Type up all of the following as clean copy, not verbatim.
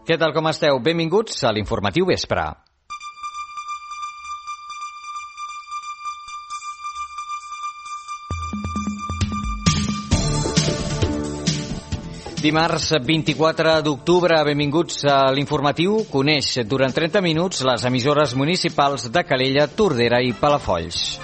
Què tal, com esteu? Benvinguts a l'Informatiu Vespre. Dimarts 24 d'octubre, benvinguts a l'Informatiu. Coneix durant 30 minuts les emissores municipals de Calella, Tordera i Palafolls.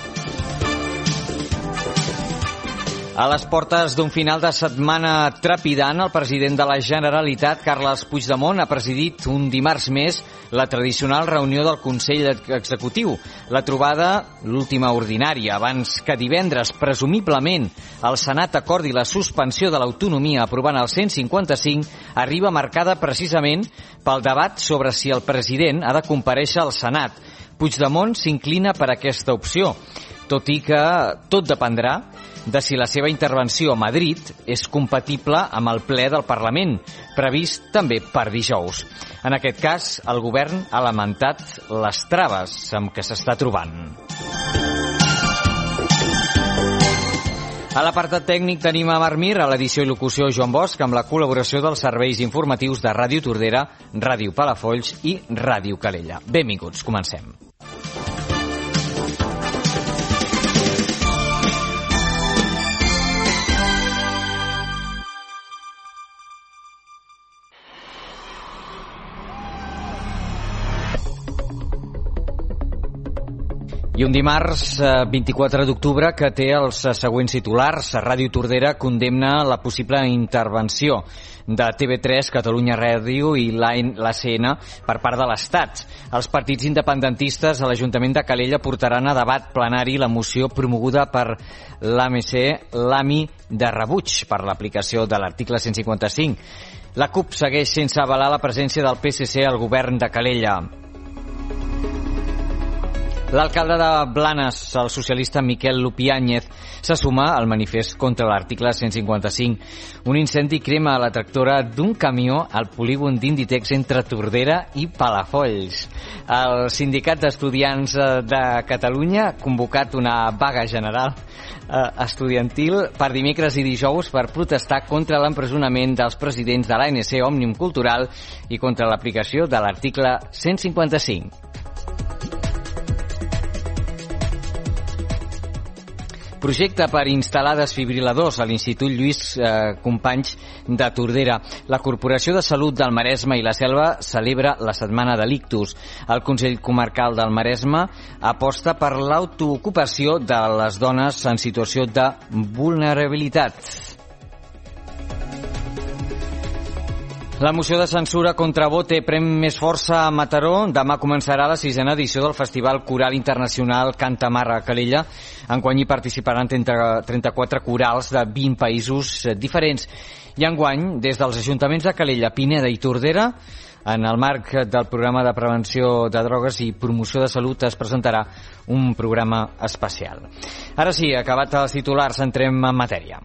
A les portes d'un final de setmana trepidant, el president de la Generalitat, Carles Puigdemont, ha presidit un dimarts més la tradicional reunió del Consell Executiu. La trobada, l'última ordinària, abans que divendres, presumiblement, el Senat acordi la suspensió de l'autonomia aprovant el 155, arriba marcada precisament pel debat sobre si el president ha de comparèixer al Senat. Puigdemont s'inclina per aquesta opció, tot i que tot dependrà de si la seva intervenció a Madrid és compatible amb el ple del Parlament, previst també per dijous. En aquest cas, el govern ha lamentat les traves amb què s'està trobant. A l'apartat tècnic tenim a Marc Mir, a l'edició i locució Joan Bosch, amb la col·laboració dels serveis informatius de Ràdio Tordera, Ràdio Palafolls i Ràdio Calella. Benvinguts, comencem. I un dimarts 24 d'octubre que té els següents titulars. Ràdio Tordera condemna la possible intervenció de TV3, Catalunya Ràdio i l'ACN per part de l'Estat. Els partits independentistes a l'Ajuntament de Calella portaran a debat plenari la moció promoguda per l'AMI de rebuig per l'aplicació de l'article 155. La CUP segueix sense avalar la presència del PSC al govern de Calella. L'alcalde de Blanes, el socialista Miquel Lupiáñez, se suma al manifest contra l'article 155. Un incendi crema la tractora d'un camió al polígon d'Inditex entre Tordera i Palafolls. El Sindicat d'Estudiants de Catalunya ha convocat una vaga general estudiantil per dimecres i dijous per protestar contra l'empresonament dels presidents de l'ANC Òmnium Cultural i contra l'aplicació de l'article 155. Projecte per instal·lar desfibriladors a l'Institut Lluís Companys de Tordera. La Corporació de Salut del Maresme i la Selva celebra la Setmana de l'Ictus. El Consell Comarcal del Maresme aposta per l'autoocupació de les dones en situació de vulnerabilitat. La moció de censura contra Bote pren més força a Mataró. Demà començarà la 6a edició del Festival Coral Internacional Canta Mar a Calella. Enguany hi participaran 34 corals de 20 països diferents. I enguany, des dels ajuntaments de Calella, Pineda i Tordera, en el marc del programa de prevenció de drogues i promoció de salut, es presentarà un programa especial. Ara sí, acabat els titulars, entrem en matèria.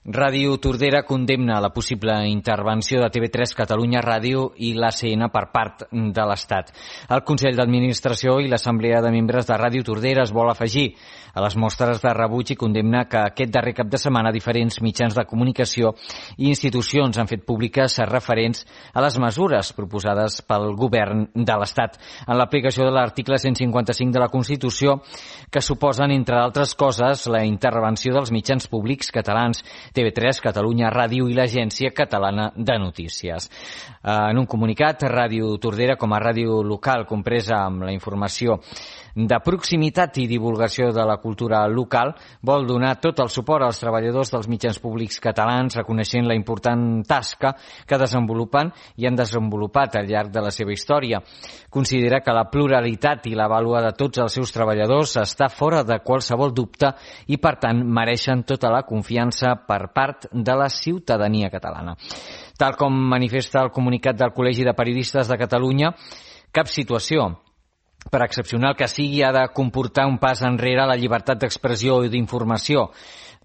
Ràdio Tordera condemna la possible intervenció de TV3, Catalunya Ràdio i l'ACN per part de l'Estat. El Consell d'Administració i l'Assemblea de Membres de Ràdio Tordera es vol afegir a les mostres de rebuig i condemna que aquest darrer cap de setmana diferents mitjans de comunicació i institucions han fet públiques referents a les mesures proposades pel govern de l'Estat en l'aplicació de l'article 155 de la Constitució, que suposen, entre d'altres coses, la intervenció dels mitjans públics catalans, TV3, Catalunya Ràdio i l'Agència Catalana de Notícies. En un comunicat, Ràdio Tordera, com a ràdio local compresa amb la informació de proximitat i divulgació de la cultura local, vol donar tot el suport als treballadors dels mitjans públics catalans, reconeixent la important tasca que desenvolupen i han desenvolupat al llarg de la seva història. Considera que la pluralitat i la vàlua de tots els seus treballadors està fora de qualsevol dubte i, per tant, mereixen tota la confiança per part de la ciutadania catalana. Tal com manifesta el comunicat del Col·legi de Periodistes de Catalunya, cap situació, per excepcional que sigui, ha de comportar un pas enrere a la llibertat d'expressió i d'informació.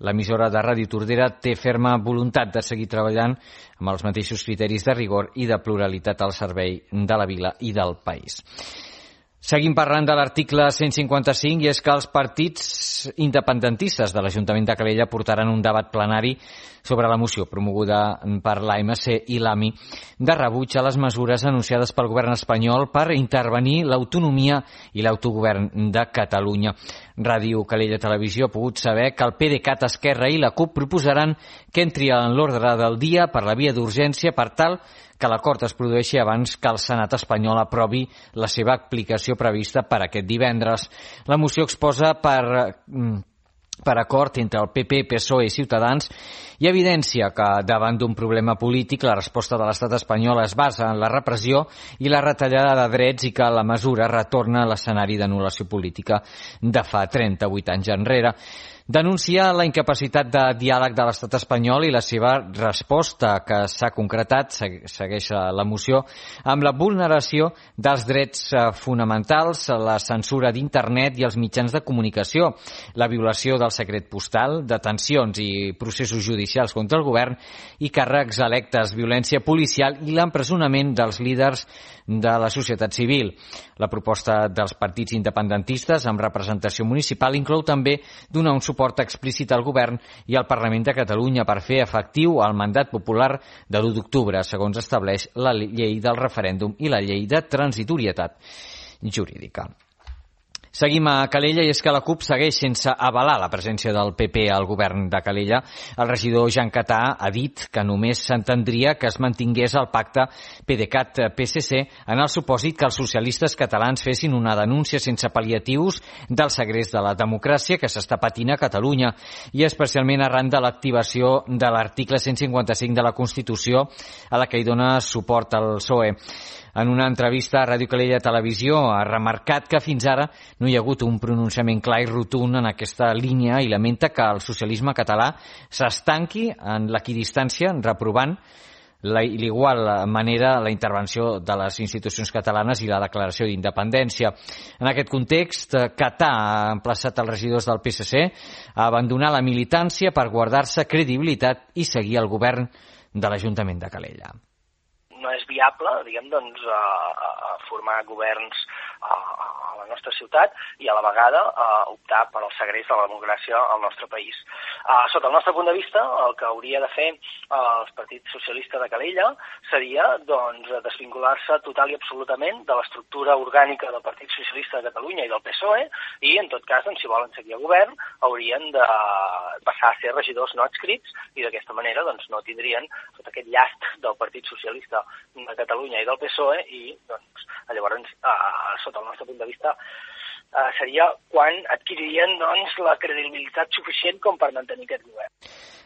L'emissora de Ràdio Tordera té ferma voluntat de seguir treballant amb els mateixos criteris de rigor i de pluralitat al servei de la vila i del país. Seguim parlant de l'article 155 i és que els partits independentistes de l'Ajuntament de Calella portaran un debat plenari sobre la moció promoguda per l'AMC i l'AMI de rebuig a les mesures anunciades pel govern espanyol per intervenir l'autonomia i l'autogovern de Catalunya. Ràdio Calella Televisió ha pogut saber que el PDeCAT, Esquerra i la CUP proposaran que entri en l'ordre del dia per la via d'urgència per tal que l'acord es produeixi abans que el Senat espanyol aprovi la seva aplicació prevista per aquest divendres. La moció exposa per acord entre el PP, PSOE i Ciutadans i evidència que davant d'un problema polític la resposta de l'estat espanyol es basa en la repressió i la retallada de drets i que la mesura retorna a l'escenari d'anul·lació política de fa 38 anys enrere. Denuncia la incapacitat de diàleg de l'estat espanyol i la seva resposta, que s'ha concretat, segueix la moció, amb la vulneració dels drets fonamentals, la censura d'internet i els mitjans de comunicació, la violació del secret postal, detencions i processos judicials contra el govern i càrrecs electes, violència policial i l'empresonament dels líders de la societat civil. La proposta dels partits independentistes amb representació municipal inclou també donar un suport explícit al govern i al Parlament de Catalunya per fer efectiu el mandat popular de l'1 d'octubre, segons estableix la llei del referèndum i la llei de transitorietat jurídica. Seguim a Calella i és que la CUP segueix sense avalar la presència del PP al govern de Calella. El regidor Jan Catà ha dit que només s'entendria que es mantingués el pacte PDeCAT-PSC en el supòsit que els socialistes catalans fessin una denúncia sense pal·liatius del segrest de la democràcia que s'està patint a Catalunya i especialment arran de l'activació de l'article 155 de la Constitució a la que hi dona suport el PSOE. En una entrevista a Ràdio Calella Televisió ha remarcat que fins ara no hi ha hagut un pronunciament clar i rotund en aquesta línia i lamenta que el socialisme català s'estanqui en l'equidistància reprovant l'igual manera la intervenció de les institucions catalanes i la declaració d'independència. En aquest context, Catà ha emplaçat els regidors del PSC a abandonar la militància per guardar-se credibilitat i seguir el govern de l'Ajuntament de Calella. No és viable, diguem, doncs, formar governs a la nostra ciutat i a la vegada optar per al segrest de la democràcia al nostre país. Sota el nostre punt de vista, el que hauria de fer el Partit Socialista de Calella seria, doncs, desvincular-se total i absolutament de l'estructura orgànica del Partit Socialista de Catalunya i del PSOE i, en tot cas, doncs, si volen seguir al govern, haurien de passar a ser regidors no adscrits i d'aquesta manera doncs, no tindrien tot aquest llast del Partit Socialista de Catalunya i del PSOE i doncs, llavors, sota el nostre punt de vista, seria quan adquiririen doncs, la credibilitat suficient com per mantenir aquest govern.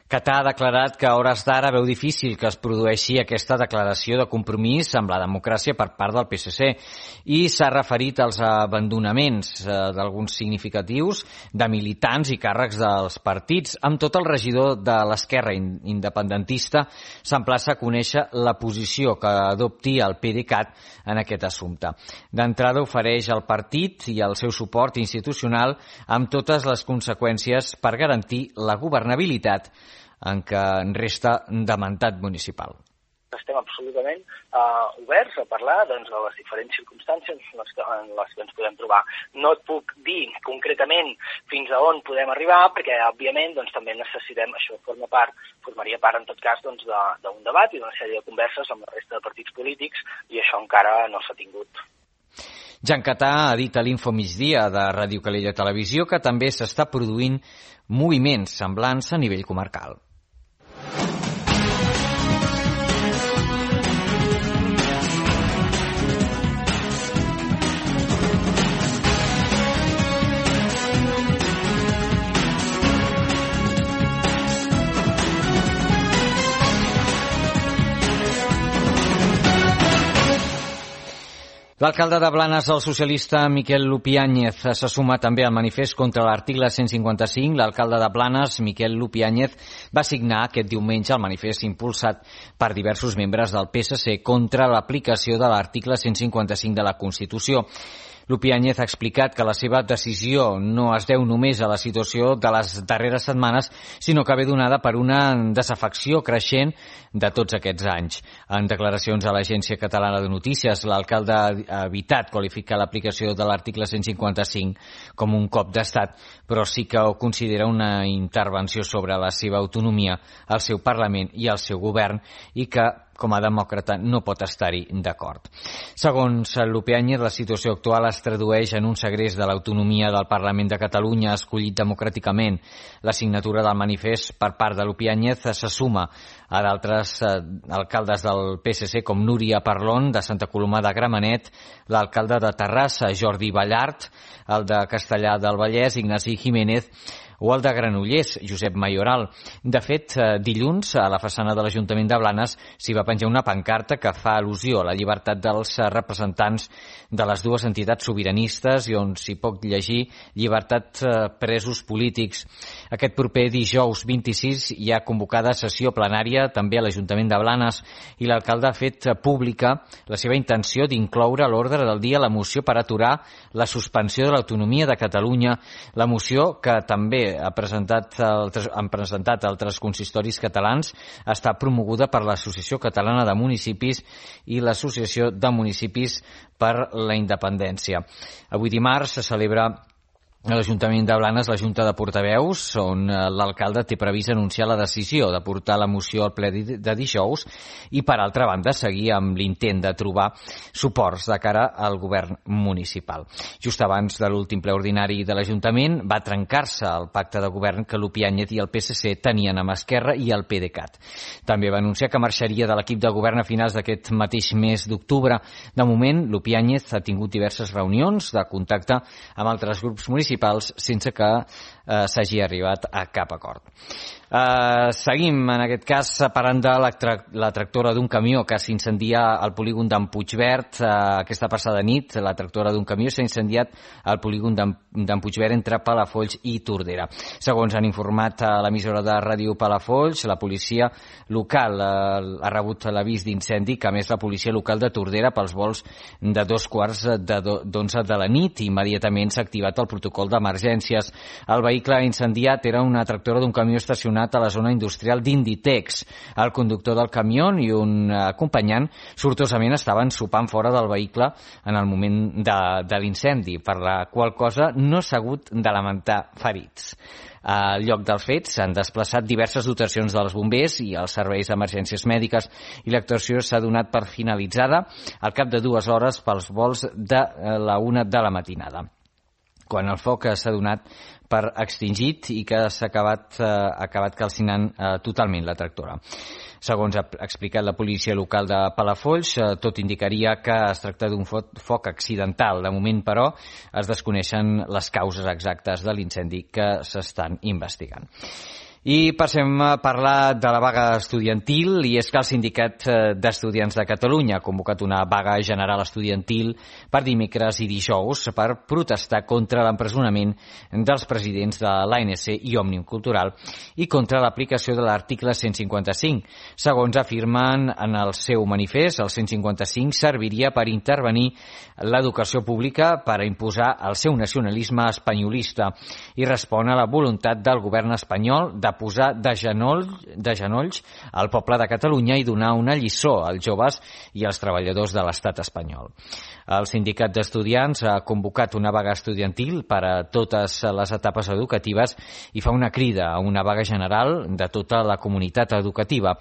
Catà ha declarat que a hores d'ara veu difícil que es produeixi aquesta declaració de compromís amb la democràcia per part del PSC i s'ha referit als abandonaments d'alguns significatius de militants i càrrecs dels partits. Amb tot, el regidor de l'Esquerra independentista s'emplaça a conèixer la posició que adopti el PDeCAT en aquest assumpte. D'entrada ofereix al partit i el seu suport institucional amb totes les conseqüències per garantir la governabilitat en què resta de mandat municipal. Estem absolutament oberts a parlar doncs, de les diferents circumstàncies en les que ens podem trobar. No et puc dir concretament fins a on podem arribar, perquè, òbviament, doncs, també necessitem, això formaria part, en tot cas, doncs, d'un debat i d'una sèrie de converses amb la resta de partits polítics, i això encara no s'ha tingut. Jan Catà ha dit a l'Info Migdia de Ràdio Calella Televisió que també s'està produint moviments semblants a nivell comarcal. L'alcalde de Blanes, el socialista Miquel Lupiáñez, s'ha sumat també al manifest contra l'article 155. L'alcalde de Blanes, Miquel Lupiáñez, va signar aquest diumenge el manifest impulsat per diversos membres del PSC contra l'aplicació de l'article 155 de la Constitució. Lupiáñez ha explicat que la seva decisió no es deu només a la situació de les darreres setmanes, sinó que ve donada per una desafecció creixent de tots aquests anys. En declaracions a l'Agència Catalana de Notícies, l'alcalde ha evitat qualificar l'aplicació de l'article 155 com un cop d'estat, però sí que ho considera una intervenció sobre la seva autonomia, el seu Parlament i el seu govern, i que com a demòcrata no pot estar-hi d'acord. Segons Lupiáñez, la situació actual es tradueix en un segrest de l'autonomia del Parlament de Catalunya escollit democràticament. La signatura del manifest per part de Lupiáñez se suma a d'altres alcaldes del PSC com Núria Parlon, de Santa Coloma de Gramenet, l'alcalde de Terrassa, Jordi Ballart, el de Castellar del Vallès, Ignasi Jiménez, o el de Granollers, Josep Mayoral. De fet, dilluns, a la façana de l'Ajuntament de Blanes s'hi va penjar una pancarta que fa al·lusió a la llibertat dels representants de les dues entitats sobiranistes i on s'hi pot llegir llibertat presos polítics. Aquest proper dijous 26 hi ha convocada sessió plenària també a l'Ajuntament de Blanes i l'alcalde ha fet pública la seva intenció d'incloure a l'ordre del dia la moció per aturar la suspensió de l'autonomia de Catalunya, la moció que també han presentat altres consistoris catalans, està promoguda per l'Associació Catalana de Municipis i l'Associació de Municipis per la Independència. Avui dimarts se celebra a l'Ajuntament de Blanes la Junta de Portaveus, on l'alcalde té previst anunciar la decisió de portar la moció al ple de dijous i, per altra banda, seguir amb l'intent de trobar suports de cara al govern municipal. Just abans de l'últim ple ordinari de l'Ajuntament va trencar-se el pacte de govern que Lupiáñez i el PSC tenien amb Esquerra i el PDeCAT. També va anunciar que marxaria de l'equip de govern a finals d'aquest mateix mes d'octubre. De moment, Lupiáñez ha tingut diverses reunions de contacte amb altres grups municipals sense que s'hagi arribat a cap acord. Seguim, en aquest cas, parlant de la tractora d'un camió que s'incendia al polígon d'en Puigverd aquesta passada nit. La tractora d'un camió s'ha incendiat al polígon d'en Puigverd entre Palafolls i Tordera. Segons han informat a l'emissora de ràdio Palafolls, la policia local ha rebut l'avís d'incendi, que a més la policia local de Tordera pels vols de 11:15 de la nit. Immediatament s'ha activat el protocol d'emergències. El vehicle incendiat era una tractora d'un camió estacionat a la zona industrial d'Inditex. El conductor del camió i un acompanyant sortosament estaven sopant fora del vehicle en el moment de l'incendi, per la qual cosa no s'ha hagut de lamentar ferits. Al lloc dels fets s'han desplaçat diverses dotacions dels bombers i els serveis d'emergències mèdiques i l'actuació s'ha donat per finalitzada al cap de 2 hores pels vols de la 1 de la matinada, quan el foc s'ha donat per extingit i que s'ha acabat calcinant totalment la tractora. Segons ha explicat la policia local de Palafolls, tot indicaria que es tracta d'un foc accidental. De moment, però, es desconeixen les causes exactes de l'incendi que s'estan investigant. I passem a parlar de la vaga estudiantil, i és que el Sindicat d'Estudiants de Catalunya ha convocat una vaga general estudiantil per dimecres i dijous per protestar contra l'empresonament dels presidents de l'ANC i Òmnium Cultural i contra l'aplicació de l'article 155. Segons afirmen en el seu manifest, el 155 serviria per intervenir l'educació pública per imposar el seu nacionalisme espanyolista i respon a la voluntat del govern espanyol de posar de genolls al poble de Catalunya i donar una lliçó als joves i als treballadors de l'estat espanyol. El Sindicat d'Estudiants ha convocat una vaga estudiantil per a totes les etapes educatives i fa una crida a una vaga general de tota la comunitat educativa.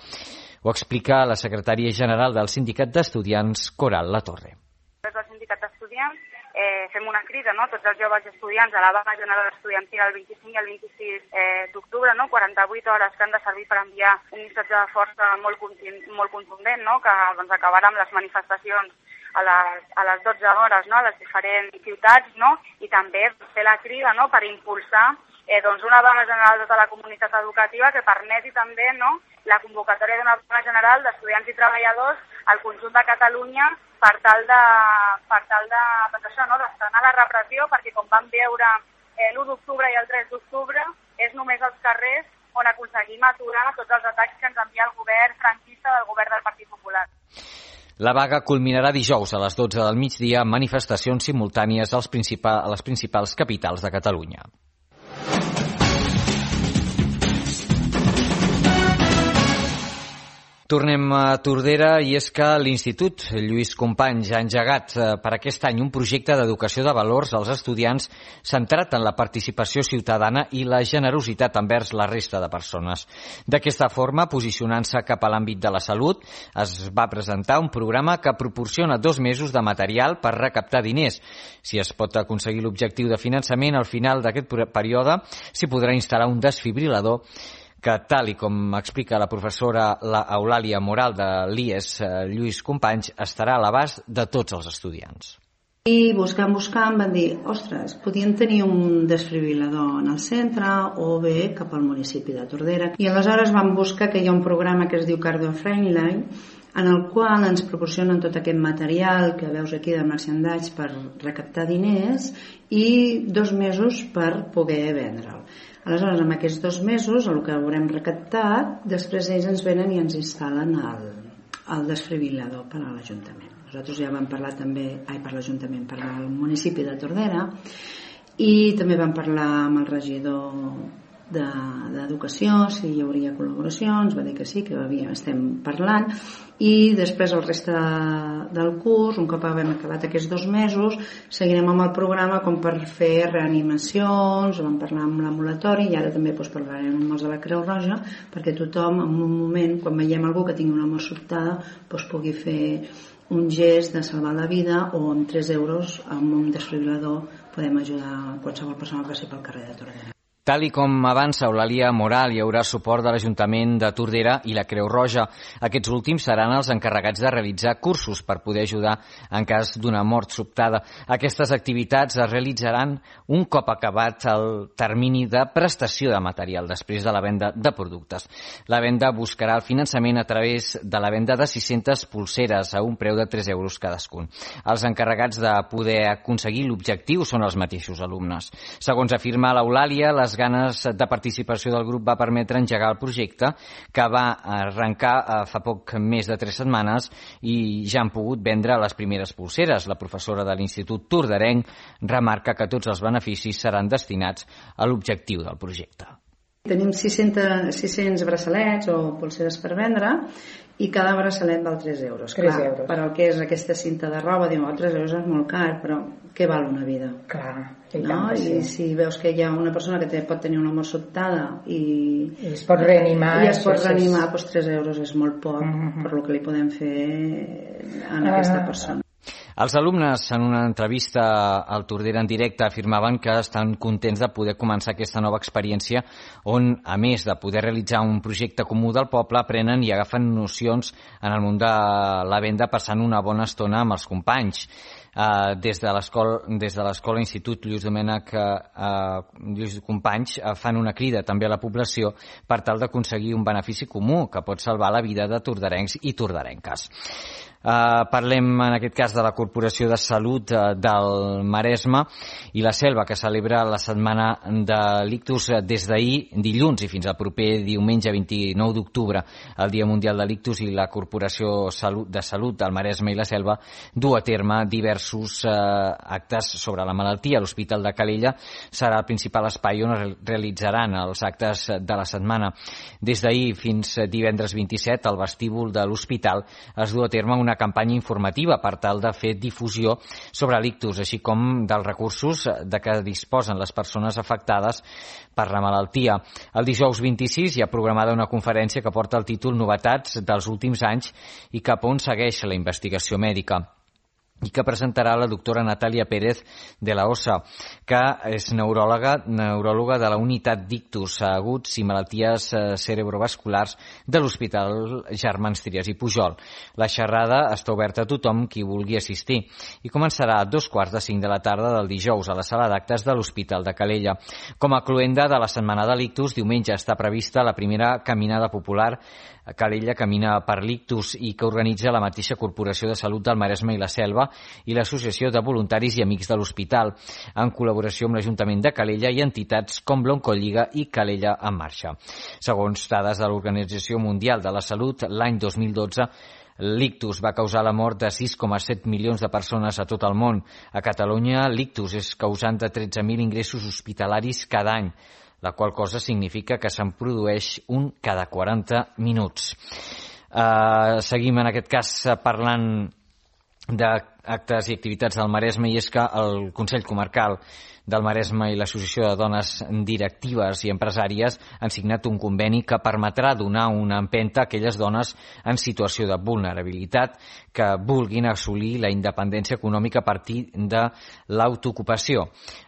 Ho explica la secretària general del Sindicat d'Estudiants, Coral Latorre. Des del Sindicat d'Estudiants fem una crida, no? Tots els joves estudiants a la vaga general estudiantil el 25 i el 26 d'octubre, no? 48 hores que han de servir per enviar un missatge de força molt contundent, no? Que doncs, acabarà amb les manifestacions a les 12 hores, no? A les diferents ciutats, no? I també fer la crida, no? Per impulsar doncs una vaga general de tota la comunitat educativa que permeti també, no? La convocatòria d'una vaga general d'estudiants i treballadors al conjunt de Catalunya per tal de frenar la repressió, perquè com vam veure l'1 d'octubre i el 3 d'octubre és només als carrers on aconseguim aturar tots els atacs que ens envia el govern franquista del govern del Partit Popular. La vaga culminarà dijous a les 12 del migdia amb manifestacions simultànies a les principals capitals de Catalunya. Tornem a Tordera i és que l'Institut Lluís Companys ha engegat per aquest any un projecte d'educació de valors als estudiants centrat en la participació ciutadana i la generositat envers la resta de persones. D'aquesta forma, posicionant-se cap a l'àmbit de la salut, es va presentar un programa que proporciona 2 mesos de material per recaptar diners. Si es pot aconseguir l'objectiu de finançament, al final d'aquest període s'hi podrà instal·lar un desfibrilador que, tal i com explica la professora Eulàlia Moral de l'IES Lluís Companys, estarà a l'abast de tots els estudiants. I buscant, van dir, ostres, podien tenir un desfibrilador en el centre o bé cap al municipi de Tordera. I aleshores vam buscar que hi ha un programa que es diu Cardio Friendly, en el qual ens proporcionen tot aquest material que veus aquí de merchandise per recaptar diners i 2 mesos per poder vendre'l. Aleshores, en aquests 2 mesos, el que haurem recaptat, després ells ens venen i ens instal·len el desfibrilador per a l'Ajuntament. Nosaltres ja vam parlar també, per l'Ajuntament, per al municipi de Tordera, i també vam parlar amb el regidor d'Educació, si hi hauria col·laboracions, va dir que sí, que estem parlant, i després el reste del curs, un cop haguem acabat aquests 2 mesos, seguirem amb el programa com per fer reanimacions, vam parlar amb l'ambulatori i ara també parlarem amb els de la Creu Roja perquè tothom en un moment, quan veiem algú que tingui una mort sobtada, pugui fer un gest de salvar la vida o amb 3 euros amb un desfibrilador podem ajudar qualsevol persona que passi pel carrer de Tordera. Tal i com avança Eulàlia Moral, hi haurà suport de l'Ajuntament de Tordera i la Creu Roja. Aquests últims seran els encarregats de realitzar cursos per poder ajudar en cas d'una mort sobtada. Aquestes activitats es realitzaran un cop acabat el termini de prestació de material després de la venda de productes. La venda buscarà el finançament a través de la venda de 600 pulseres a un preu de 3 euros cadascun. Els encarregats de poder aconseguir l'objectiu són els mateixos alumnes. Segons afirma l'Eulàlia, les ganes de participació del grup va permetre engegar el projecte, que va arrencar fa poc més de 3 setmanes i ja han pogut vendre les primeres pulseres. La professora de l'Institut Torderenc remarca que tots els beneficis seran destinats a l'objectiu del projecte. Tenim 600 braçalets o pulseres per vendre i cada braçalet val 3 euros. 3 euros. Per al que és aquesta cinta de roba, diu, 3 euros és molt car, però què val una vida? Clar, I si veus que hi ha una persona que pot tenir una mort sobtada i es pot reanimar, i es pot reanimar, 3 euros és molt poc per lo que li podem fer a aquesta persona. Els alumnes, en una entrevista al Tordera en directe, afirmaven que estan contents de poder començar aquesta nova experiència on, a més de poder realitzar un projecte comú del poble, aprenen i agafen nocions en el món de la venda passant una bona estona amb els companys. Des de l'escola Institut Lluís Companys fan una crida també a la població per tal d'aconseguir un benefici comú que pot salvar la vida de torderencs i torderenques. Parlem en aquest cas de la Corporació de Salut del Maresme i la Selva, que celebra la setmana de l'ictus des d'ahir, dilluns, i fins al proper diumenge 29 d'octubre, el Dia Mundial de l'Ictus, i la Corporació de Salut del Maresme i la Selva du a terme diversos actes sobre la malaltia. L'Hospital de Calella serà el principal espai on es realitzaran els actes de la setmana. Des d'ahir fins divendres 27, al vestíbul de l'hospital es du a terme una campanya informativa per tal de fer difusió sobre l'ictus, així com dels recursos de què disposen les persones afectades per la malaltia. El dijous 26 hi ha programada una conferència que porta el títol Novetats dels últims anys i cap on segueix la investigació mèdica, i que presentarà la doctora Natàlia Pérez de la OSA, que és neuròloga de la unitat d'ictus aguts i malalties cerebrovasculars de l'Hospital Germans Trias i Pujol. La xerrada està oberta a tothom qui vulgui assistir i començarà a 2:45 de la tarda del dijous a la sala d'actes de l'Hospital de Calella. Com a cloenda de la setmana de l'ictus, diumenge està prevista la primera caminada popular Calella Camina per l'Ictus, i que organitza la mateixa Corporació de Salut del Maresme i la Selva i l'Associació de Voluntaris i Amics de l'Hospital, en col·laboració amb l'Ajuntament de Calella i entitats com l'Oncolliga i Calella en Marxa. Segons dades de l'Organització Mundial de la Salut, l'any 2012 L'ictus va causar la mort de 6,7 milions de persones a tot el món. A Catalunya, l'ictus és causant de 13.000 ingressos hospitalaris cada any, la qual cosa significa que se'n produeix un cada 40 minuts. Seguim en aquest cas parlant d'actes i activitats del Maresme, i és que el Consell Comarcal del Maresme i l'Associació de Dones Directives i Empresàries han signat un conveni que permetrà donar una empenta a aquelles dones en situació de vulnerabilitat que vulguin assolir la independència econòmica a partir de l'autoocupació.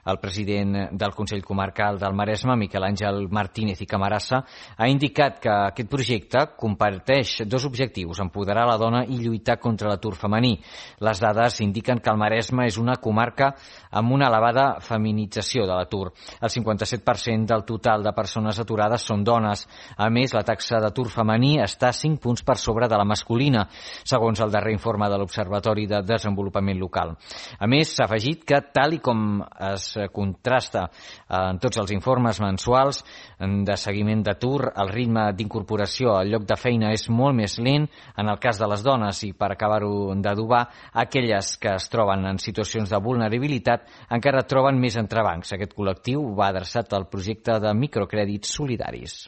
El president del Consell Comarcal del Maresme, Miquel Àngel Martínez i Camarasa, ha indicat que aquest projecte comparteix dos objectius: empoderar la dona i lluitar contra l'atur femení. Les dades indiquen que el Maresme és una comarca amb una elevada feminització de l'atur. El 57% del total de persones aturades són dones. A més, la taxa d'atur femení està 5 punts per sobre de la masculina, segons el darrer informe de l'Observatori de Desenvolupament Local. A més, s'ha afegit que, tal i com es contrasta en tots els informes mensuals de seguiment d'atur, el ritme d'incorporació al lloc de feina és molt més lent en el cas de les dones, i per acabar-ho d'adobar, aquelles que es troben en situacions de vulnerabilitat encara troben més entrebancs. Aquest col·lectiu va adreçat al projecte de microcrèdits solidaris.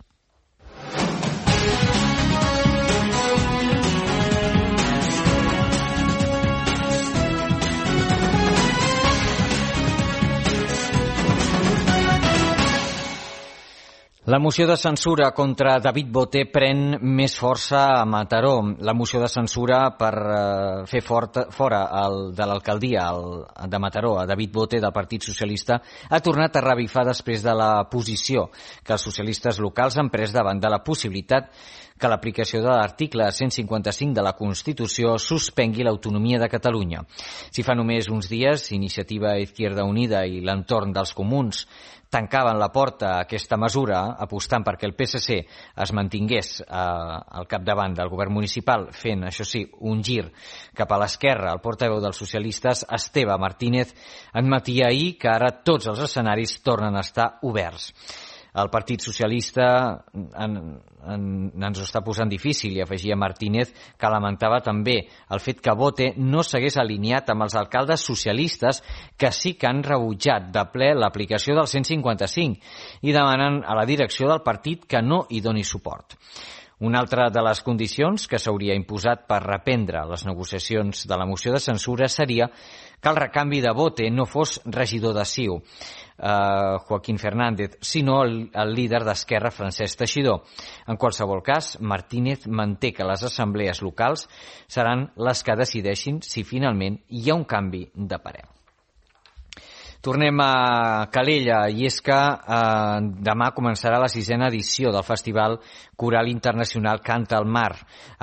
La moció de censura contra David Boté pren més força a Mataró. La moció de censura per fer fora de l'alcaldia de Mataró a David Boté del Partit Socialista ha tornat a revifar després de la posició que els socialistes locals han pres davant de la possibilitat que l'aplicació de l'article 155 de la Constitució suspengui l'autonomia de Catalunya. Si fa només uns dies Iniciativa Izquierda Unida i l'entorn dels comuns tancaven la porta a aquesta mesura, apostant perquè el PSC es mantingués al capdavant del govern municipal, fent, això sí, un gir cap a l'esquerra, el portaveu dels socialistes, Esteve Martínez, admetia ahir que ara tots els escenaris tornen a estar oberts. El Partit Socialista ens ho està posant difícil, i afegia Martínez que lamentava també el fet que Boté no s'hagués alineat amb els alcaldes socialistes que sí que han rebutjat de ple l'aplicació del 155 i demanen a la direcció del partit que no hi doni suport. Una altra de les condicions que s'hauria imposat per reprendre les negociacions de la moció de censura seria que el recanvi de Boté no fos regidor de CiU, Joaquín Fernández, sinó el líder d'Esquerra, Francesc Teixidor. En qualsevol cas, Martínez manté que les assemblees locals seran les que decideixin si finalment hi ha un canvi de parer. Tornem a Calella, i és que demà començarà la 6ª edició del Festival Coral Internacional Canta al Mar.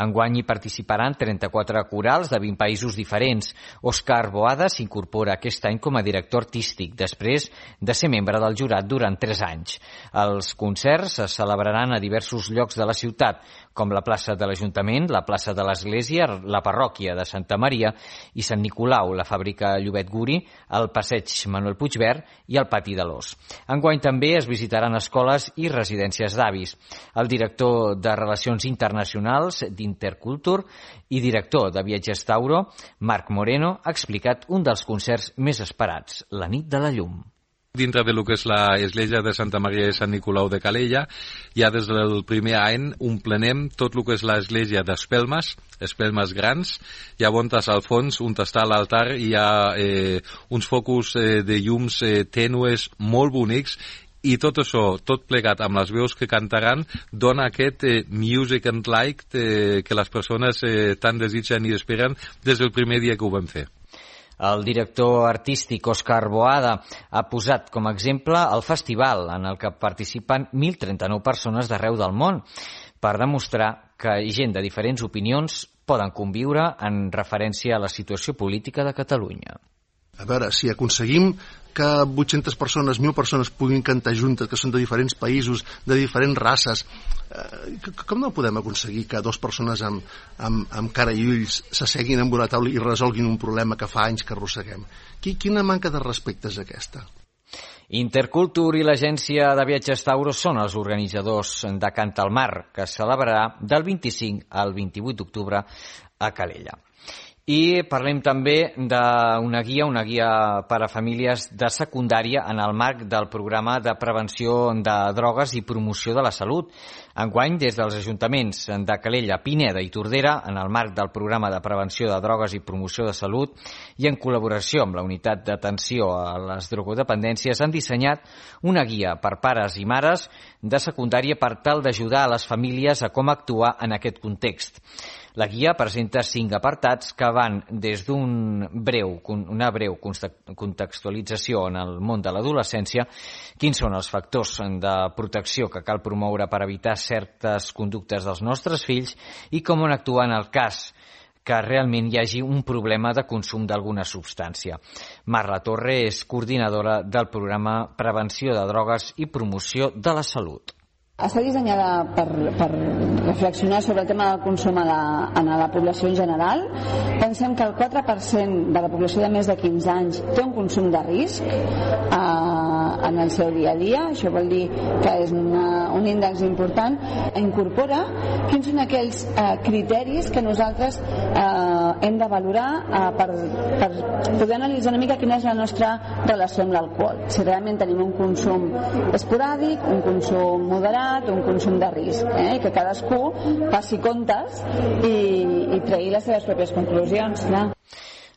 Enguany hi participaran 34 corals de 20 països diferents. Òscar Boada s'incorpora aquest any com a director artístic, després de ser membre del jurat durant 3 anys. Els concerts es celebraran a diversos llocs de la ciutat, com la plaça de l'Ajuntament, la plaça de l'Església, la parròquia de Santa Maria i Sant Nicolau, la fàbrica Llobet Guri, el passeig Manuel Puigverd i el pati de l'Os. Enguany també es visitaran escoles i residències d'avis. El director de Relacions Internacionals d'Intercultur i director de Viatges Tauro, Marc Moreno, ha explicat un dels concerts més esperats, la Nit de la Llum. Dintre de lo que és l'església de Santa Maria i Sant Nicolau de Calella, ja des del primer any omplenem tot el que és l'església d'espelmes, espelmes grans, hi ha bontes al fons, on està l'altar, i hi ha uns focus de llums tènues molt bonics, i tot això, tot plegat amb les veus que cantaran, dona aquest music and light que les persones tant desitgen i esperen des del primer dia que ho vam fer. El director artístic Òscar Boada ha posat com a exemple el festival en el que participen 1.039 persones d'arreu del món per demostrar que gent de diferents opinions poden conviure en referència a la situació política de Catalunya. A veure, si aconseguim que 800 persones, 1.000 persones puguin cantar juntes, que són de diferents països, de diferents races, com no podem aconseguir que 2 persones amb cara i ulls s'asseguin en una taula i resolguin un problema que fa anys que arrosseguem? Quina manca de respecte és aquesta? Intercultur i l'agència de viatges Tauro són els organitzadors de Canta al Mar, que es celebrarà del 25 al 28 d'octubre a Calella. I parlem també d'una guia per a famílies de secundària en el marc del programa de prevenció de drogues i promoció de la salut. Enguany, des dels ajuntaments de Calella, Pineda i Tordera, en el marc del programa de prevenció de drogues i promoció de salut i en col·laboració amb la unitat d'atenció a les drogodependències, han dissenyat una guia per pares i mares de secundària per tal d'ajudar a les famílies a com actuar en aquest context. La guia presenta 5 apartats que van des una breu contextualització en el món de l'adolescència, quins són els factors de protecció que cal promoure per evitar certes conductes dels nostres fills i com on actuar en el cas que realment hi hagi un problema de consum d'alguna substància. Marla Torre és coordinadora del programa Prevenció de Drogues i Promoció de la Salut. Està dissenyada per reflexionar sobre el tema del consum en la població en general. Pensem que el 4% de la població de més de 15 anys té un consum de risc en el seu dia a dia. Això vol dir que és un índex important. Incorpora quins són aquells criteris que nosaltres hem de valorar per poder analitzar una mica quina és la nostra relació amb l'alcohol. Si realment tenim un consum esporàdic, un consum moderat, un consum de risc, que cadascú passi comptes i tregui les seves pròpies conclusions.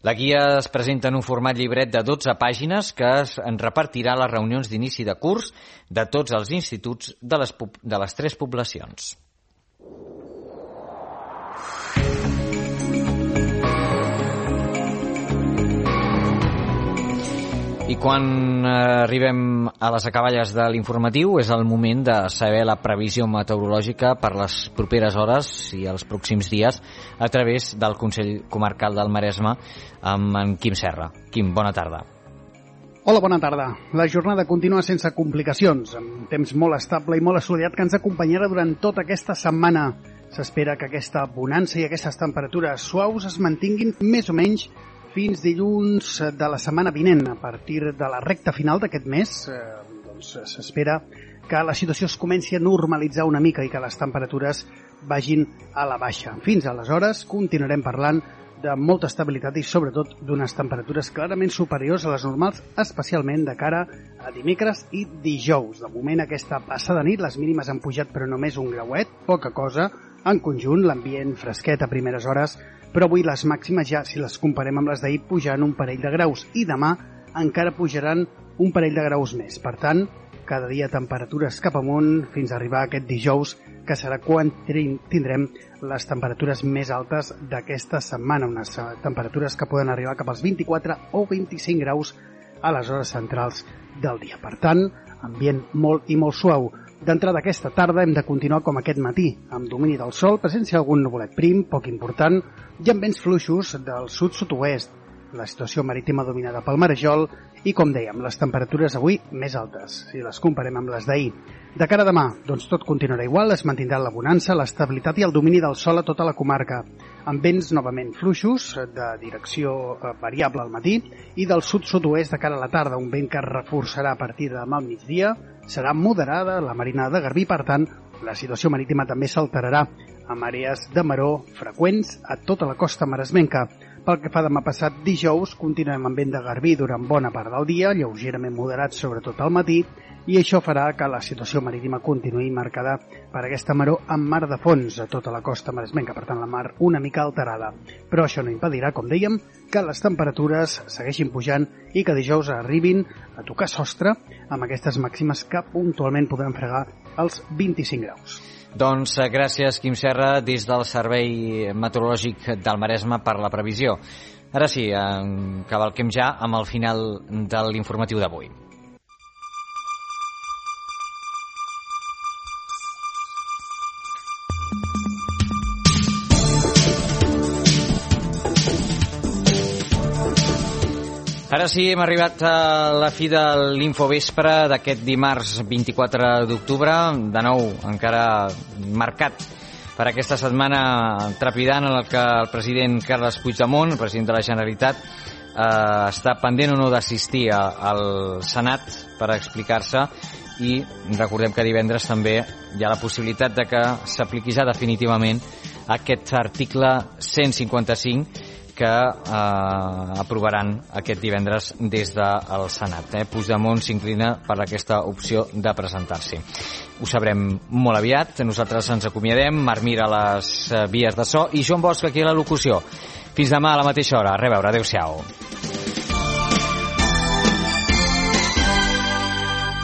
La guia es presenta en un format llibret de 12 pàgines que es repartirà a les reunions d'inici de curs de tots els instituts de les 3 poblacions. I quan arribem a les acaballes de l'informatiu és el moment de saber la previsió meteorològica per les properes hores i els pròxims dies a través del Consell Comarcal del Maresme amb en Quim Serra. Quim, bona tarda. Hola, bona tarda. La jornada continua sense complicacions, amb temps molt estable i molt assolellat que ens acompanyarà durant tota aquesta setmana. S'espera que aquesta bonança i aquestes temperatures suaus es mantinguin més o menys fins dilluns de la setmana vinent. A partir de la recta final d'aquest mes, s'espera que la situació es comenci a normalitzar una mica i que les temperatures vagin a la baixa. Fins aleshores continuarem parlant de molta estabilitat i sobretot d'unes temperatures clarament superiors a les normals, especialment de cara a dimecres i dijous. De moment, aquesta passada nit, les mínimes han pujat però només un grauet, poca cosa. En conjunt, l'ambient fresquet a primeres hores, però avui les màximes ja, si les comparem amb les d'ahir, pujaran un parell de graus i demà encara pujaran un parell de graus més. Per tant, cada dia temperatures cap amunt fins a arribar a aquest dijous, que serà quan tindrem les temperatures més altes d'aquesta setmana, unes temperatures que poden arribar cap als 24 o 25 graus a les hores centrals del dia. Per tant, ambient molt i molt suau. D'entrada aquesta tarda hem de continuar com aquest matí, amb domini del sol, presència d'algun nuvolet prim, poc important, i amb vents fluixos del sud-sud-oest. La situació marítima dominada pel marejol i, com dèiem, les temperatures avui més altes, si les comparem amb les d'ahir. De cara a demà, doncs tot continuarà igual, es mantindrà la bonança, l'estabilitat i el domini del sol a tota la comarca, amb vents novament fluixos, de direcció variable al matí, i del sud-sud-oest de cara a la tarda, un vent que es reforçarà a partir de demà al migdia, serà moderada la marinada de Garbí, per tant, la situació marítima també s'alterarà amb àrees de maró freqüents a tota la costa maresmenca. Pel que fa demà passat dijous, continuem amb vent de Garbí durant bona part del dia, lleugerament moderat sobretot al matí, i això farà que la situació marítima continuï marcada per aquesta maró amb mar de fons a tota la costa maresmenca, per tant la mar una mica alterada. Però això no impedirà, com dèiem, que les temperatures segueixin pujant i que dijous arribin a tocar sostre amb aquestes màximes que puntualment podran fregar els 25 graus. Doncs gràcies, Quim Serra, des del Servei Meteorològic del Maresme per la previsió. Ara sí, cavalquem ja amb el final de l'informatiu d'avui. Ara sí, hem arribat a la fi de l'Infovespre d'aquest dimarts 24 d'octubre, de nou encara marcat per aquesta setmana trepidant en la que el president Carles Puigdemont, el president de la Generalitat, està pendent o no d'assistir al Senat per explicar-se, i recordem que divendres també hi ha la possibilitat de que s'apliqui ja definitivament aquest article 155 que aprovaran aquest divendres des del Senat. Puigdemont s'inclina per aquesta opció de presentar-s'hi. Ho sabrem molt aviat. Nosaltres ens acomiadem. Marc Mir a les vies de so i Joan Bosch aquí a la locució. Fins demà a la mateixa hora. A reveure. Adéu-siau.